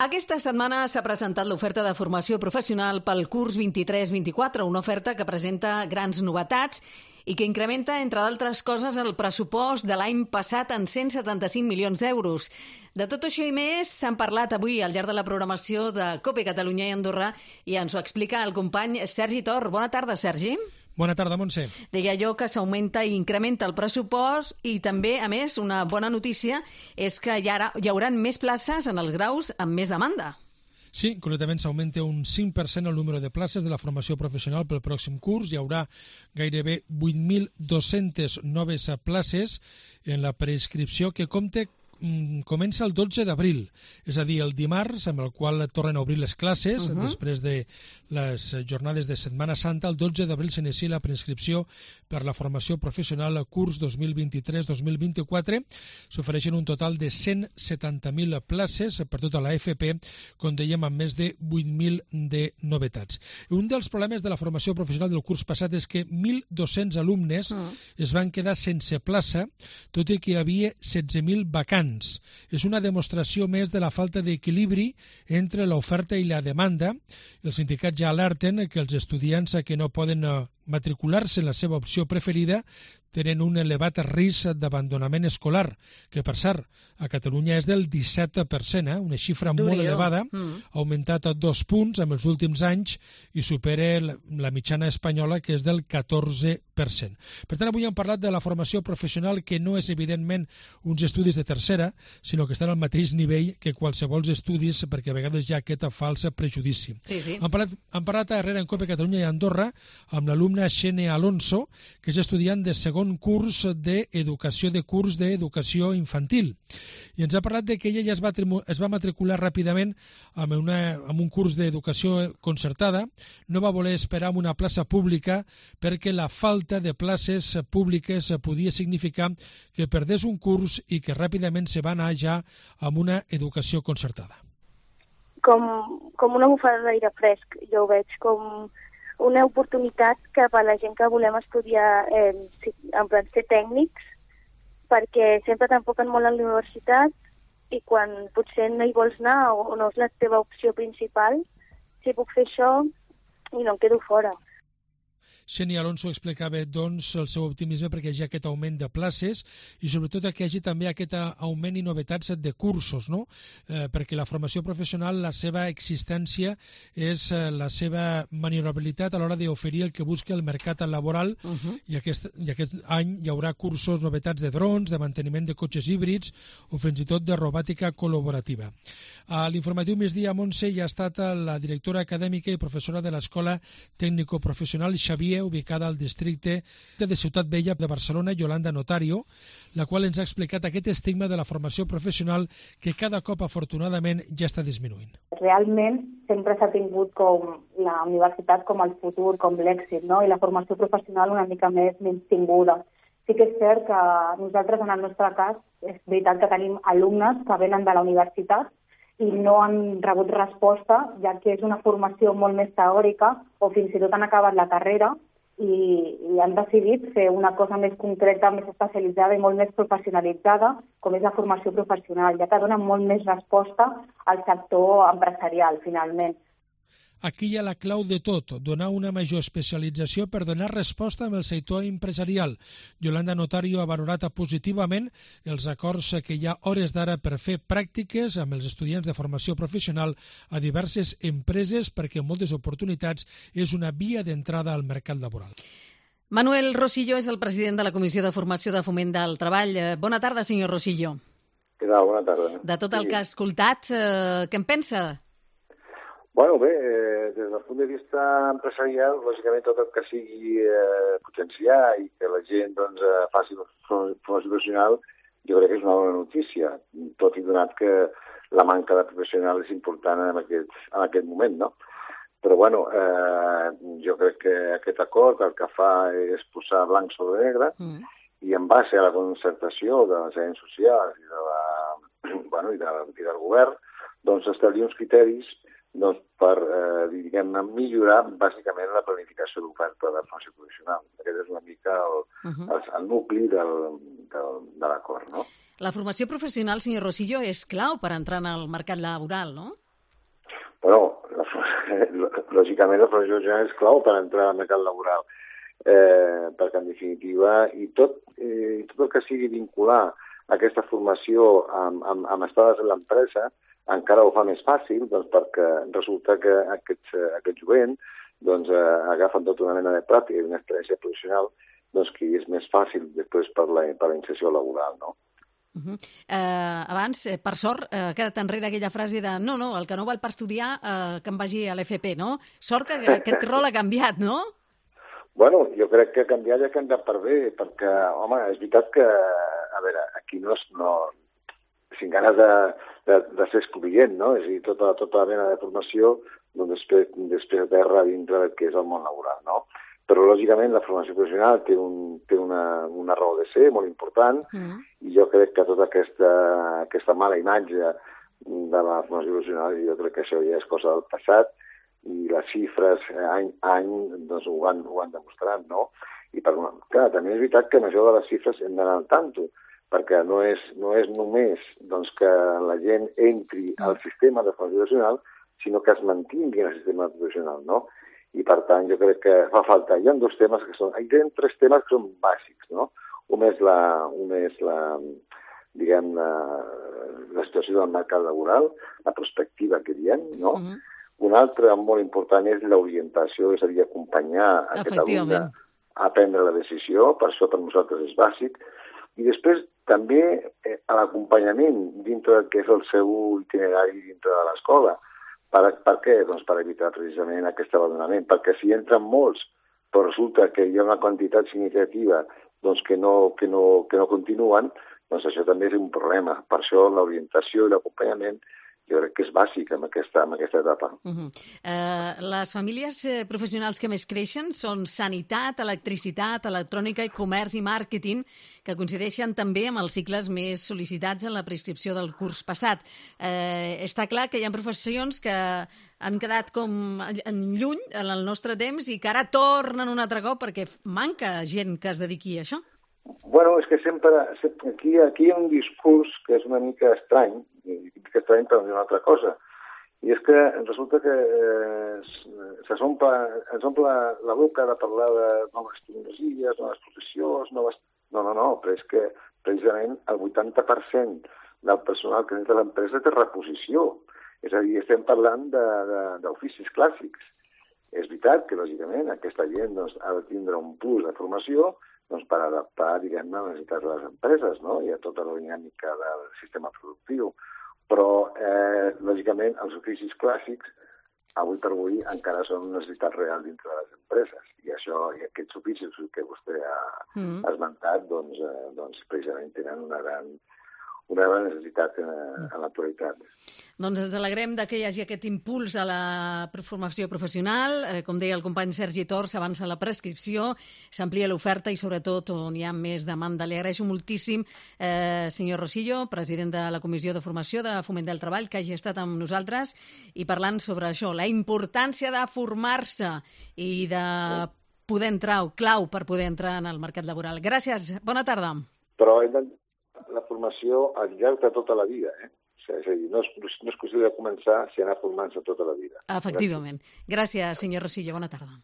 Aquesta setmana s'ha presentat l'oferta de formació professional pel curs 23-24, una oferta que presenta grans novetats i que incrementa, entre d'altres coses, el pressupost de l'any passat en 175 milions d'euros. De tot això i més s'han parlat avui al llarg de la programació de COPE Catalunya i Andorra i ens ho explica el company Sergi Tor. Bona tarda, Sergi. Bona tarda, Montse. Deia jo que s'augmenta i incrementa el pressupost i també, a més, una bona notícia és que hi haurà més places en els graus amb més demanda. Sí, concretament s'augmenta un 5% el número de places de la formació professional pel pròxim curs. Hi haurà gairebé 8.200 noves places en la preinscripció que comença el 12 d'abril, és a dir, el dimarts, amb el qual tornen a obrir les classes, després de les jornades de Setmana Santa. El 12 d'abril s'inicia la preinscripció per la formació professional curs 2023-2024. S'ofereixen un total de 170.000 places per tota la FP, com dèiem, amb més de 8.000 de novetats. Un dels problemes de la formació professional del curs passat és que 1.200 alumnes es van quedar sense plaça, tot i que hi havia 16.000 vacants. És una demostració més de la falta d'equilibri entre l'oferta i la demanda. Els sindicats ja alerten que els estudiants que no poden matricular-se en la seva opció preferida tenen un elevat risc d'abandonament escolar, que per cert, a Catalunya és del 17%, una xifra molt elevada, ha augmentat a 2 punts en els últims anys i supera la mitjana espanyola, que és del 14%. Per tant, avui hem parlat de la formació professional, que no és evidentment uns estudis de tercera, sinó que estan al mateix nivell que qualsevol estudis, perquè a vegades hi ha aquest fals prejudici. Sí. Hem parlat darrere en COPE Catalunya i Andorra amb l'alumna Xenia Alonso, que és estudiant de segon curs d'educació infantil. I ens ha parlat de que ella ja es va matricular ràpidament en un curs d'educació concertada. No va voler esperar en una plaça pública perquè la falta de places públiques podia significar que perdés un curs i que ràpidament se va anar ja amb una educació concertada. Com una bufada d'aire fresc, jo ho veig com una oportunitat cap a la gent que volem estudiar en plan ser tècnics, perquè sempre t'enfoquen molt a la universitat i quan potser no hi vols anar o no és la teva opció principal, si puc fer això i no em quedo fora. Xenia Alonso explicava, doncs, el seu optimisme perquè hi ha aquest augment de places i sobretot que hi hagi també aquest augment i novetats de cursos, no? Perquè la formació professional, la seva existència és la seva maniobrabilitat a l'hora d'oferir el que busca el mercat laboral i aquest any hi haurà cursos, novetats de drons, de manteniment de cotxes híbrids o fins i tot de robòtica col·laborativa. A l'informatiu Migdia, Montse, hi ha estat la directora acadèmica i professora de l'Escola Tècnico-Professional Xavier, ubicada al districte de Ciutat Vella de Barcelona, Yolanda Notario, la qual ens ha explicat aquest estigma de la formació professional que cada cop, afortunadament, ja està disminuint. Realment sempre s'ha tingut com la universitat com el futur, com l'èxit, no? I la formació professional una mica més menystinguda. Sí que és cert que nosaltres, en el nostre cas, és veritat que tenim alumnes que venen de la universitat i no han rebut resposta, ja que és una formació molt més teòrica o fins i tot han acabat la carrera i han decidit fer una cosa més concreta, més especialitzada i molt més professionalitzada, com és la formació professional, ja que dona molt més resposta al sector empresarial, finalment. Aquí hi ha la clau de tot, donar una major especialització per donar resposta amb el sector empresarial. Yolanda Notario ha valorat positivament els acords que hi ha hores d'ara per fer pràctiques amb els estudiants de formació professional a diverses empreses perquè en moltes oportunitats és una via d'entrada al mercat laboral. Manuel Rosillo és el president de la Comissió de Formació de Foment del Treball. Bona tarda, senyor Rosillo. Què tal? Bona tarda. De tot el que ha escoltat, què en pensa? Bueno, bé, des del punt de vista empresarial, lògicament tot el que sigui potenciar i que la gent faci formació professional, jo crec que és una bona notícia, tot i donat que la manca de professional és important en aquest moment, no? Però, bueno, jo crec que aquest acord el que fa és posar blanc sobre negre i en base a la concertació de les agents socials i del govern, doncs establir uns criteris per, diguem-ne, millorar bàsicament la planificació d'oferta de formació professional. Aquest és una mica el nucli de l'acord, no? La formació professional, senyor Rosillo, és clau per entrar en el mercat laboral, no? Bueno, lògicament la formació professional és clau per entrar al mercat laboral, perquè en definitiva, i tot el que sigui vincular aquesta formació amb estades en l'empresa encara ho fa més fàcil, doncs, perquè resulta que aquest jovent agafen tota una mena de pràctica i una experiència professional doncs, que és més fàcil després per la inserció laboral, no? Abans, per sort, ha quedat enrere aquella frase de no, el que no val per estudiar que em vagi a l'FP, no? Sort que aquest rol ha canviat, no? Bueno, jo crec que ha canviat i ha canviat per bé, perquè, home, és veritat que, a veure, aquí no sin ganes de ser excloent, no? És a dir, tota la mena de formació doncs, després de terra dintre del que és el món laboral, no? Però, lògicament, la formació professional té una raó de ser molt important i jo crec que tota aquesta mala imatge de la formació professional, jo crec que això ja és cosa del passat i les xifres any a any doncs, ho han demostrat, no? I clar, també és veritat que amb això de les xifres hem d'anar al tanto, perquè no és només doncs, que la gent entri al sistema de formació professional, sinó que es mantingui en el sistema professional, no? I, per tant, jo crec que fa falta. Hi ha tres temes que són bàsics, no? Un és la situació del mercat laboral, la perspectiva que diem, no? Un altre molt important és l'orientació, és a dir, acompanyar a Catalunya a prendre la decisió, per això per nosaltres és bàsic. I després també l'acompanyament dintre del que és el seu itinerari dintre de l'escola. Per què? Doncs per evitar precisament aquest abandonament, perquè si entren molts, però resulta que hi ha una quantitat significativa doncs, que no continuen, doncs això també és un problema. Per això l'orientació i l'acompanyament jo crec que és bàsic en aquesta etapa. Les famílies professionals que més creixen són sanitat, electricitat, electrònica, comerç i màrqueting, que coincideixen també amb els cicles més sol·licitats en la prescripció del curs passat. Està clar que hi ha professions que han quedat com lluny en el nostre temps i que ara tornen un altre cop perquè manca gent que es dediqui a això. Bueno, és que sempre aquí hi ha un discurs que és una mica estrany, per dir una altra cosa, i és que resulta que ens omple la boca de parlar de noves tecnologies, noves professions, No, però és que precisament el 80% del personal que entra a l'empresa té reposició. És a dir, estem parlant d'oficis clàssics. És veritat que, lògicament, aquesta gent ha de tindre un plus de formació per adaptar, diguem-ne, a les necessitats de les empreses, no? I a tota la dinàmica del sistema productiu. Però, lògicament, els oficis clàssics, avui per avui, encara són una necessitat real dintre de les empreses. I aquests oficis que vostè ha esmentat, doncs precisament tenen una gran necessitat en l'actualitat. Doncs ens alegrem que hi hagi aquest impuls a la formació professional. Com deia el company Sergi Tor, s'avança la prescripció, s'amplia l'oferta i sobretot on hi ha més demanda. Li agraeixo moltíssim, senyor Rosillo, president de la Comissió de Formació de Foment del Treball, que hagi estat amb nosaltres i parlant sobre això, la importància de formar-se i de poder entrar, o clau per poder entrar en el mercat laboral. Gràcies, bona tarda. Però la formació al llarg de tota la vida, És a dir, no és qüestió de començar si anar formant-se tota la vida. Efectivament. Gràcies, senyor Rosillo. Bona tarda.